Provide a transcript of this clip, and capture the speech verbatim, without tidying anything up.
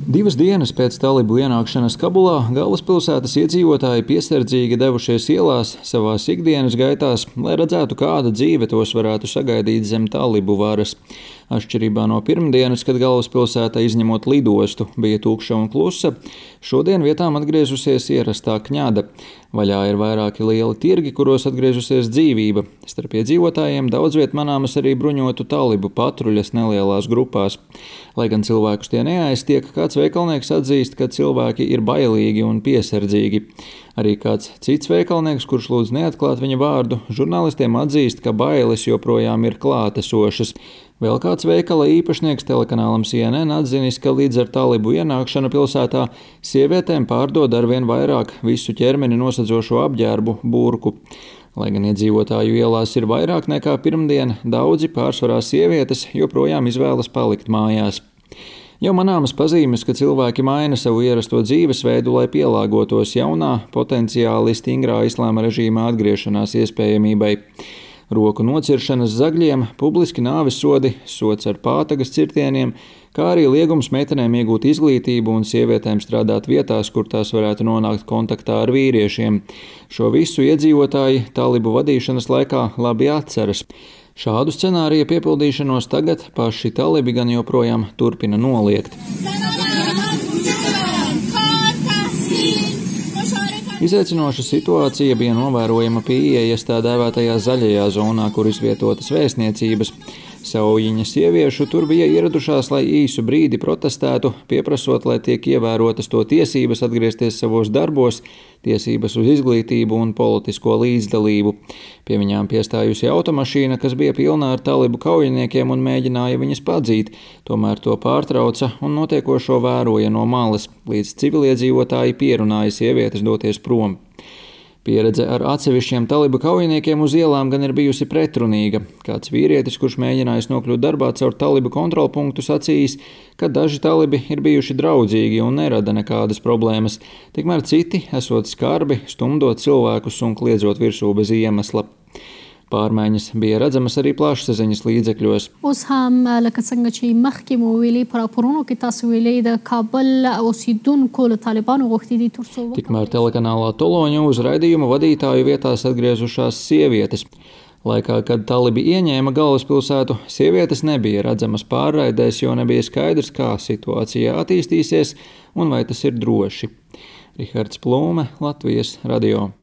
Divas dienas pēc talibu ienākšanas Kabulā galvaspilsētas iedzīvotāji piesardzīgi devušies ielās savās ikdienas gaitās, lai redzētu, kāda dzīve tos varētu sagaidīt zem talibu varas. Atšķirībā no pirmdienas, kad galvaspilsēta izņemot lidostu bija tukša un klusa, šodien vietām atgriezusies ierastā kņada. Vaļā ir vairāki lieli tirgi, kuros atgriežusies dzīvība. Starp iedzīvotājiem daudz viet manāmas arī bruņotu talibu patruļas nelielās grupās. Lai gan cilvēkus tie neaiztiek, kāds veikalnieks atzīst, ka cilvēki ir bailīgi un piesardzīgi. Arī kāds cits veikalnieks, kurš lūdz neatklāt viņa vārdu, žurnālistiem atzīst, ka bailes joprojām ir klātesošas. Vēl kāds veikala īpašnieks telekanālam C N N atzinis, ka līdz ar talibu ienākšanu pilsētā sievietēm pārdod arvien vairāk visu ķermeni nosedzošo apģērbu burku. Lai gan iedzīvotāju ielās ir vairāk nekā pirmdien, daudzi pārsvarā sievietes joprojām izvēlas palikt mājās. Jau manāmas pazīmes, ka cilvēki maina savu ierasto dzīvesveidu, lai pielāgotos jaunā, potenciāli stingrā islāma režīmā atgriešanās iespējamībai. Roku nociršanas zagļiem, publiski nāves sodi, sods ar pātagas cirtieniem, kā arī liegums meitenēm iegūt izglītību un sievietēm strādāt vietās, kur tās varētu nonākt kontaktā ar vīriešiem. Šo visu iedzīvotāji talibu vadīšanas laikā labi atceras. Šādu scenāriju piepildīšanos tagad paši talibi gan joprojām turpina noliegt. Izaicinoša situācija bija novērojama pie ieejas tā dēvētajā zaļajā zonā, kur izvietotas vēstniecības. Saujiņa sieviešu tur bija ieradušās, lai īsu brīdi protestētu, pieprasot, lai tiek ievērotas to tiesības atgriezties savos darbos, tiesības uz izglītību un politisko līdzdalību. Pie viņām piestājusi automašīna, kas bija pilna ar talibu kaujiniekiem un mēģināja viņas padzīt, tomēr to pārtrauca un notiekošo vēroja no malas, līdz civiliedzīvotāji pierunāja sievietes doties prom. Pieredze ar atsevišķiem talibu kaujiniekiem uz ielām gan ir bijusi pretrunīga. Kāds vīrietis, kurš mēģinājis nokļūt darbā caur talibu kontrolpunktu, sacījis, ka daži talibi ir bijuši draudzīgi un nerada nekādas problēmas, tikmēr citi esot skarbi, stumdot cilvēkus un kliedzot virsū bez iemesla. Pārmaiņas bija redzamas arī plašsaziņas līdzekļos. Tikmēr telekanālā Toloņu uz raidījuma vadītāju vietās atgriezušās sievietes. Laikā, kad talibi ieņēma galvaspilsētu, sievietes nebija redzamas pārraidēs, jo nebija skaidrs, kā situācija attīstīsies un vai tas ir droši. Rihards Plūme, Latvijas radio.